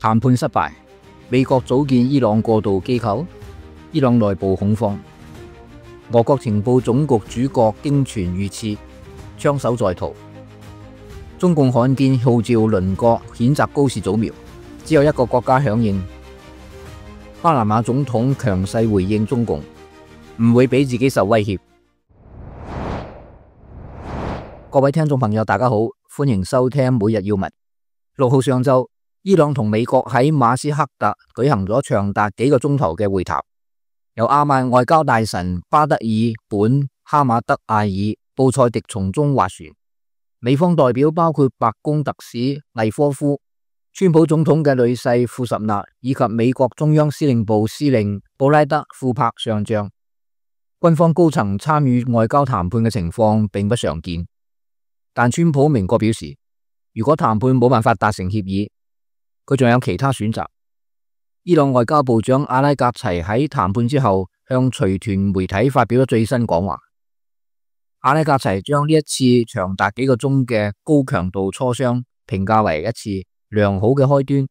談判失敗，美國組建伊朗過渡機構，伊朗內部恐慌。俄國情報總局主角驚傳遇刺，槍手在逃。中共罕見號召鄰國譴責高市早苗，只有一個國家響應。巴拿馬總統強勢回應中共，唔會俾自己受威脅。各位聽眾朋友，大家好，歡迎收聽每日要聞。6號上晝，伊朗同美國喺馬斯克特舉行咗長達幾個鐘頭嘅會談，由阿曼外交大臣巴德爾本哈馬德艾爾布塞迪從中斡旋。美方代表包括白宮特使魏科夫、川普總統嘅女婿庫什納以及美國中央司令部司令布拉德庫珀上將。軍方高層參與外交談判嘅情況並不常見，但川普明確表示，如果談判冇辦法達成協議，佢仲有其他選擇。伊朗外交部長阿拉格齊喺談判之後向隨團媒體發表咗最新講話。阿拉格齊將呢一次長達幾個鐘嘅高強度磋商評價為一次良好嘅開端，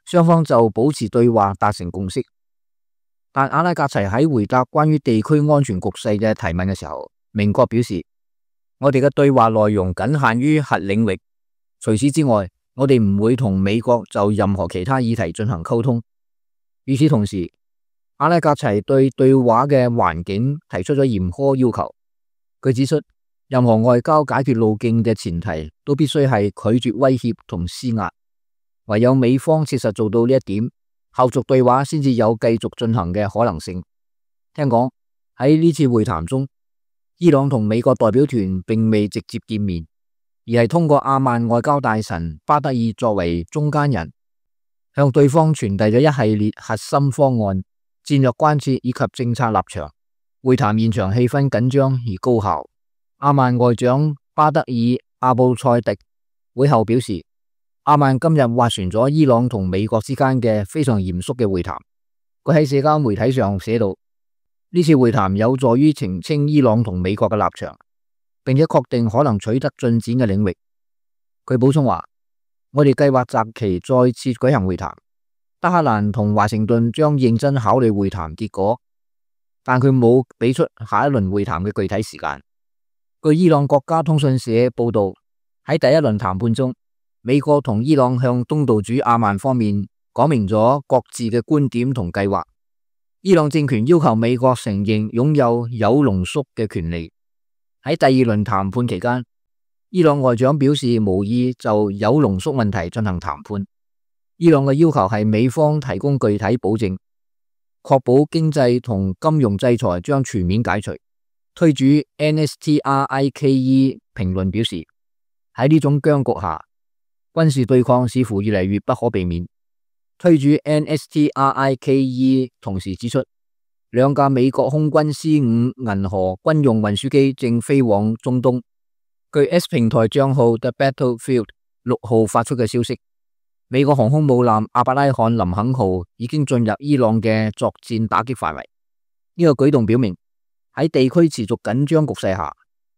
雙方就保持對話達成共識。但阿拉格齊喺回答關於地區安全局勢嘅提問嘅時候，明確表示，我哋嘅對話內容僅限於核領域，除此之外，我哋唔會同美國就任何其他議題進行溝通。與此同時，阿拉格齊對對話嘅環境提出咗嚴苛要求。佢指出，任何外交解決路徑嘅前提都必須係拒絕威脅同施壓，唯有美方切實做到呢一點，後續對話先至有繼續進行嘅可能性。聽講喺呢次會談中，伊朗同美國代表團並未直接見面，而係通過阿曼外交大臣巴德爾作為中間人，向對方傳遞咗一系列核心方案、戰略關切以及政策立場。會談現場氣氛緊張而高效。阿曼外長巴德爾阿布塞迪會後表示，阿曼今日斡旋咗伊朗同美國之間嘅非常嚴肅嘅會談。佢喺社交媒體上寫道，呢次會談有助於澄清伊朗同美國嘅立場，並且確定可能取得進展嘅領域。佢補充話，我哋計劃擇期再次舉行會談，德黑蘭同華盛頓將認真考慮會談結果。但佢冇俾出下一輪會談嘅具體時間。據伊朗國家通訊社報道，喺第一輪談判中，美國同伊朗向東道主阿曼方面講明咗各自嘅觀點同計劃。伊朗政權要求美國承認擁有鈾濃縮嘅權利。喺第二輪談判期間，伊朗外長表示無意就鈾濃縮問題進行談判。伊朗嘅要求係美方提供具體保證，確保經濟同金融制裁將全面解除。推主 NSTRIKE 評論表示，喺呢種僵局下，軍事對抗似乎越嚟越不可避免。推主 NSTRIKE 同時指出，兩架美國空軍 C-5 銀河軍用運輸機正飛往中東。據 S 平台賬號 The Battlefield 6號發出嘅消息，美國航空母艦阿伯拉罕林肯號已經進入伊朗嘅作戰打擊範圍。呢個舉動表明，喺地區持續緊張局勢下，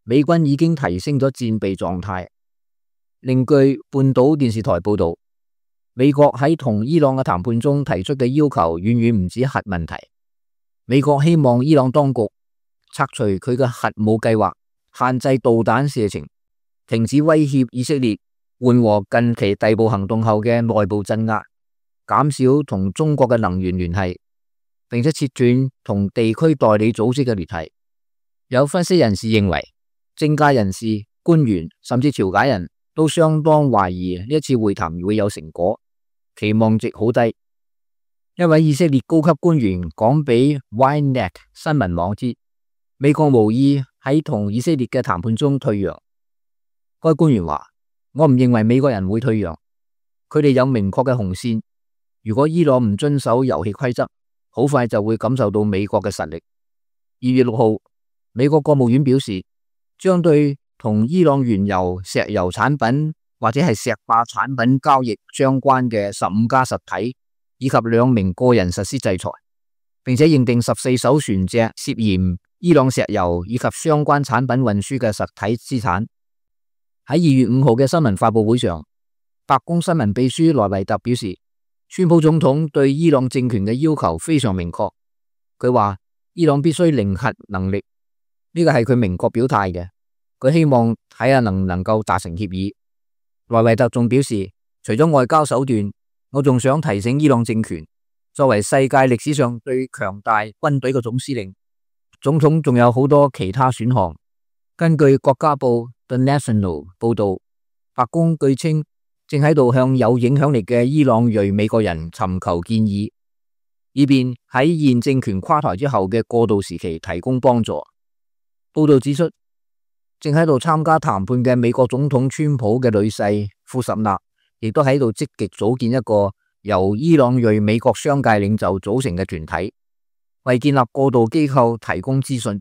美軍已經提升咗戰備狀態。另據半島電視台報道，美國喺同伊朗嘅談判中提出嘅要求遠遠唔止核問題。美國希望伊朗當局拆除佢嘅核武計劃，限制導彈射程，停止威脅以色列，緩和近期逮捕行動後嘅內部鎮壓，減少同中國嘅能源聯繫，並且切斷同地區代理組織嘅聯繫。有分析人士認為，政界人士、官員甚至調解人都相當懷疑呢一次會談會有成果，期望值好低。一位以色列高級官員講俾 Ynet 新聞網知，美國無意喺同以色列嘅談判中退讓。該官員話，我唔認為美國人會退讓，佢哋有明確嘅紅線。如果伊朗唔遵守遊戲規則，好快就會感受到美國嘅實力。2月6號，美國國務院表示，將對同伊朗原油、石油產品或者係石化產品交易相關嘅15家實體以及2名個人實施制裁，並且認定14艘船隻涉嫌伊朗石油以及相關產品運輸嘅實體資產。喺2月5號嘅新聞發佈會上，白宮新聞秘書萊維特表示，川普總統對伊朗政權嘅要求非常明確，佢話伊朗必須零核能力，呢個係佢明確表態嘅。佢希望睇下能唔能夠達成協議。萊維特仲表示，除咗外交手段，我仲想提醒伊朗政權，作為世界歷史上最強大軍隊嘅總司令，總統仲有好多其他選項。根據國家報 The National 報道，白宮據稱正喺度向有影響力嘅伊朗裔美國人尋求建議，以便喺現政權垮台之後嘅過渡時期提供幫助。報道指出，正喺度參加談判嘅美國總統川普嘅女婿庫什納，亦都喺度積極組建一個由伊朗裔美國商界領袖組成嘅團體，為建立過渡機構提供資訊。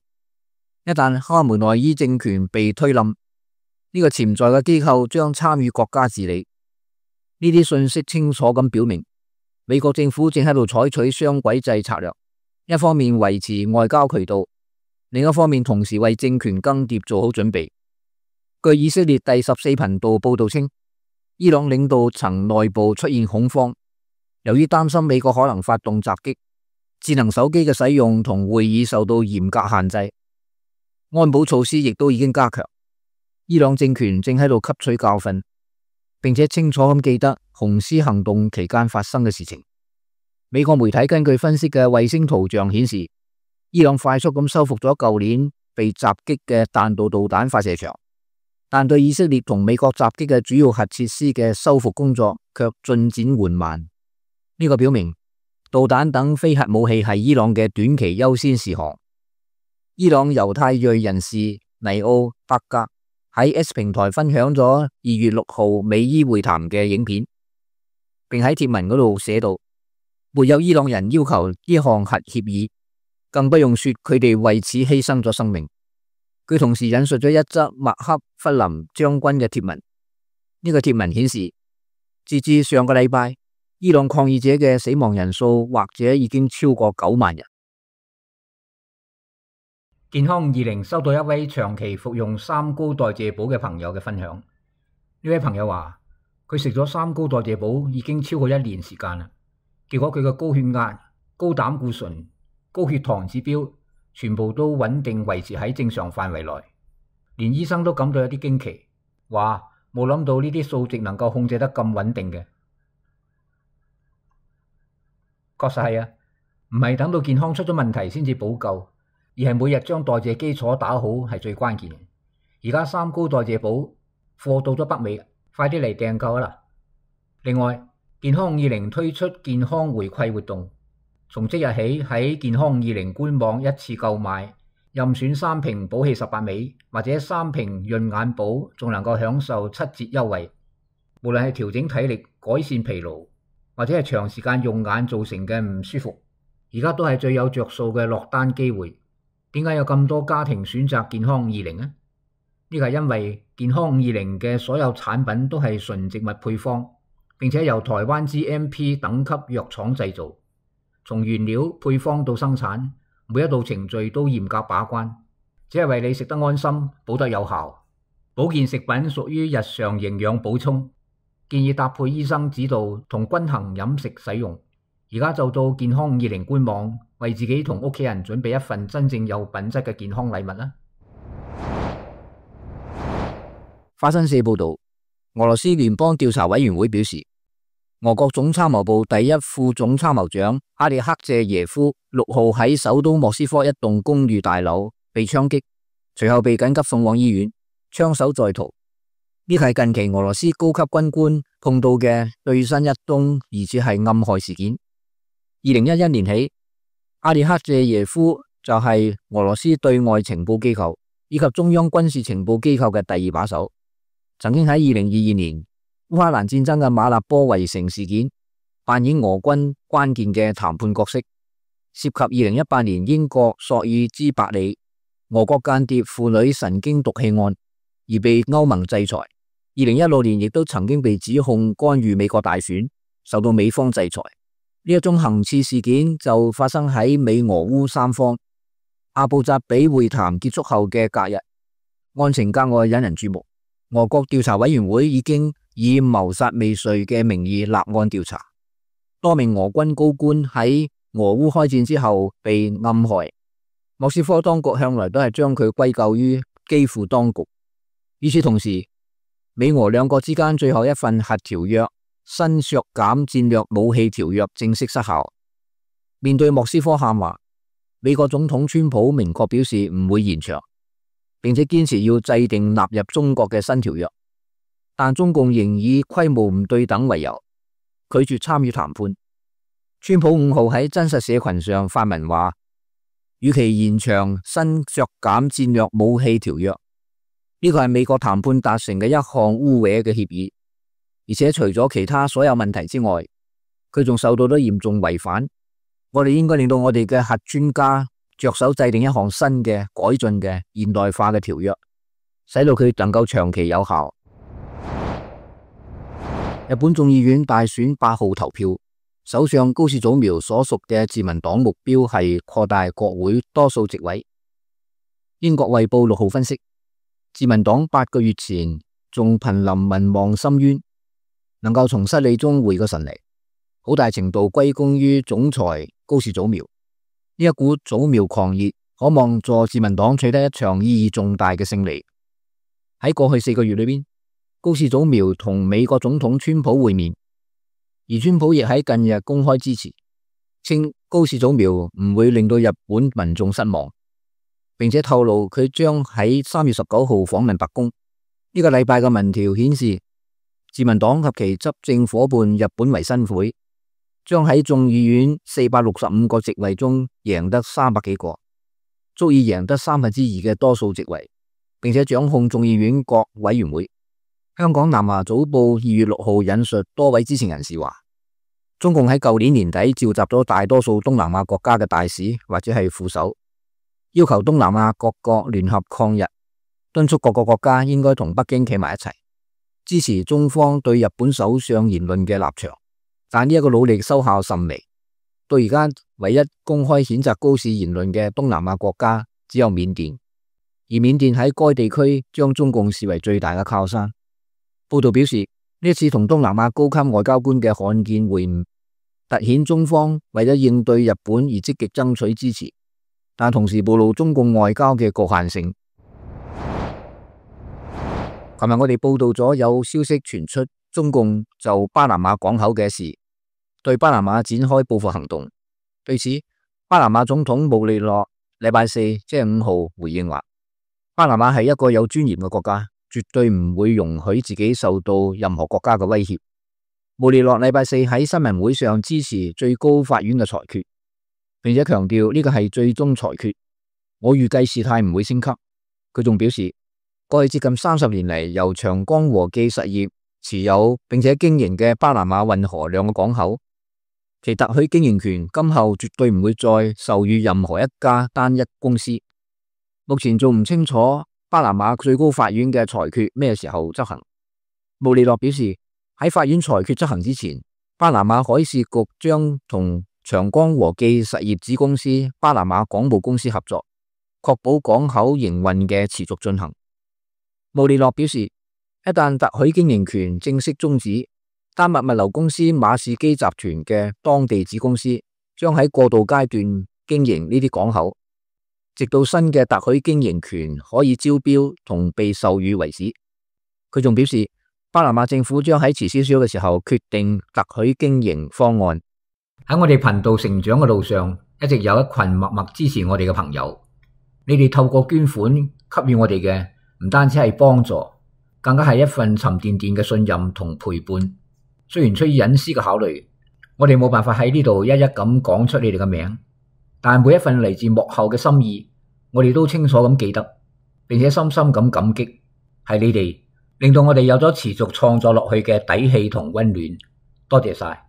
一旦哈梅內伊政權被推冧，呢個潛在嘅機構將參與國家治理。呢啲信息清楚咁表明，美國政府正喺度採取雙軌制策略，一方面維持外交渠道，另一方面同時為政權更迭做好準備。據以色列第14頻道報道稱，伊朗領導層內部出現恐慌，由於擔心美國可能發動襲擊，智能手機嘅使用同會議受到嚴格限制，安保措施亦都已經加強。伊朗政權正喺度吸取教訓，並且清楚咁記得紅絲行動期間發生嘅事情。美國媒體根據分析嘅衛星圖像顯示，伊朗快速咁修復咗舊年被襲擊嘅彈道導彈發射場，但對以色列同美國襲擊嘅主要核設施嘅修復工作卻進展緩慢。呢個表明導彈等非核武器係伊朗嘅短期優先事項。伊朗猶太裔人士尼奧伯格喺 S 平台分享咗2月6號美伊會談嘅影片，並喺貼文嗰度寫道：沒有伊朗人要求呢項核協議，更不用說佢哋為此犧牲咗生命。佢同時引述咗一則麥克弗林將軍嘅貼文，呢個貼文顯示，截至上個禮拜，伊朗抗議者嘅死亡人數或者已經超過9萬人。健康20收到一位長期服用三高代謝寶嘅朋友嘅分享。呢位朋友話，佢食咗三高代謝寶已經超過1年時間啦，結果佢嘅高血壓、高膽固醇、高血糖指標全部都穩定維持喺正常範圍內，連醫生都感到有啲驚奇，話冇諗到呢啲數值能夠控制得咁穩定嘅。確實係啊，唔係等到健康出咗問題先至補救，而係每日將代謝基礎打好係最關鍵嘅。而家三高代謝寶貨到咗北美，快啲嚟訂購啦！另外，健康50推出健康回饋活動，從即日起喺健康20官網一次購買，任選3瓶寶氣18味或者3瓶潤眼寶，仲能夠享受7折優惠。無論係調整體力、改善疲勞，或者係長時間用眼造成嘅唔舒服，而家都係最有着數嘅落單機會。點解有咁多家庭選擇健康20呢？呢個係因為健康50嘅所有產品都係純植物配方，並且由台灣 GMP 等級藥廠製造，從原料配方到生產，每一道程序都嚴格把關，只係為你食得安心，補得有效。保健食品屬於日常營養補充，建議搭配醫生指導同均衡飲食使用。而家就到健康20官網，為自己同屋企人準備一份真正有品質嘅健康禮物啦。法新社報道，俄羅斯聯邦調查委員會表示，俄國總參謀部第一副總參謀長阿列克謝耶夫6號喺首都莫斯科一棟公寓大樓被槍擊，隨後被緊急送往醫院，槍手在逃。呢係近期俄羅斯高級軍官碰到嘅最新一宗疑似係暗害事件。2011年起，阿列克謝耶夫就係俄羅斯對外情報機構以及中央軍事情報機構嘅第2把手，曾經喺2022年烏克蘭戰爭嘅馬納波圍城事件扮演俄軍關鍵嘅談判角色，涉及2018年英國索爾茲伯里俄國間諜婦女神經毒氣案而被歐盟制裁。2016年亦都曾經被指控干預美國大選，受到美方制裁。呢一宗行刺事件就發生喺美俄烏三方阿布扎比會談結束後嘅隔日，案情格外引人注目。俄國調查委員會已經以謀殺未遂嘅名義立案調查。多名俄軍高官喺俄烏開戰之後被暗害，莫斯科當局向來都係將佢歸咎於基輔當局。與此同時，美俄兩國之間最後一份核條約新削減戰略武器條約正式失效。面對莫斯科喊話，美國總統川普明確表示唔會延長，並且堅持要制定納入中國嘅新條約，但中共仍以規模唔對等為由，拒絕參與談判。川普5號喺真實社群上發文話，與其延長新削減戰略武器條約，呢個係美國談判達成嘅一項污衊嘅協議，而且除咗其他所有問題之外，佢仲受到咗嚴重違反。我哋應該令到我哋嘅核專家着手制定一項新嘅改進嘅現代化嘅條約，使到佢能夠長期有效。日本眾議院大選8號投票，首相高市早苗所屬嘅自民黨目標係擴大國會多數席位。英國衛報6號分析，自民黨8個月前仲瀕臨民望深淵，能夠從失利中回過神嚟，好大程度歸功於總裁高市早苗。呢一股早苗狂熱可望助自民黨取得一場意義重大嘅勝利。喺過去4個月裏邊，高市早苗同美國總統川普會面，而川普亦喺近日公開支持，稱高市早苗唔會令到日本民眾失望，並且透露佢將喺3月19號訪問白宮。呢個禮拜嘅民調顯示，自民黨及其執政夥伴日本維新會將喺眾議院465個席位中贏得300幾個，足以贏得2/3嘅多數席位，並且掌控眾議院各委員會。香港南華早報2月6號引述多位知情人士話，中共喺舊年年底召集咗大多數東南亞國家嘅大使或者係副手，要求東南亞各國聯合抗日，敦促各個國家應該同北京企埋一齊，支持中方對日本首相言論嘅立場。但呢一個努力收效甚微，到而家唯一公開譴責高市言論嘅東南亞國家只有緬甸，而緬甸喺該地區將中共視為最大嘅靠山。報道表示，呢一次同東南亞高級外交官嘅罕見會晤，凸顯中方為咗應對日本而積極爭取支持，但同時暴露中共外交嘅局限性。琴日我哋報道咗有消息傳出，中共就巴拿馬港口嘅事對巴拿馬展開報復行動。對此，巴拿馬總統穆利諾禮拜四即係5號回應話，巴拿馬係一個有尊嚴嘅國家，絕對唔會容許自己受到任何國家嘅威脅。穆利諾禮拜四喺新聞會上支持最高法院嘅裁決，並且強調呢個係最終裁決，我預計事態唔會升級。佢仲表示，過去接近30年嚟，由長江和記實業持有並且經營嘅巴拿馬運河兩個港口，其特許經營權今後絕對唔會再授予任何一家單一公司。目前仲唔清楚巴拿馬最高法院嘅裁決咩時候執行。穆利諾表示，喺法院裁決執行之前，巴拿馬海事局將同長江和記實業子公司巴拿馬港務公司合作，確保港口營運嘅持續進行。穆利諾表示，一旦特許經營權正式終止，丹麥物流公司馬士基集團嘅當地子公司將喺過渡階段經營呢啲港口，直到新嘅特許經營權可以招標同被授予為止。佢仲表示，巴拿馬政府將喺遲少少嘅時候決定特許經營方案。喺我哋頻道成長嘅路上，一直有一群默默支持我哋嘅朋友，你哋透過捐款給予我哋嘅唔單止係幫助，更加係一份沉甸甸嘅信任同陪伴。雖然出於隱私嘅考慮，我哋冇辦法喺呢度一一咁講出你哋嘅名，但每一份嚟自幕後嘅心意，我哋都清楚咁記得，並且深深咁感激，係你哋令到我哋有咗持續創作落去嘅底氣同溫暖。多謝晒。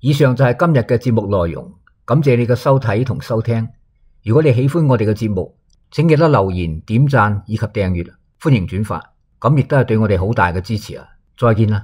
以上就係今日嘅節目內容，感謝你嘅收睇同收聽。如果你喜歡我哋嘅節目，請記得留言、點讚以及訂閱，歡迎轉發，咁亦都係對我哋好大嘅支持啊！再見啦。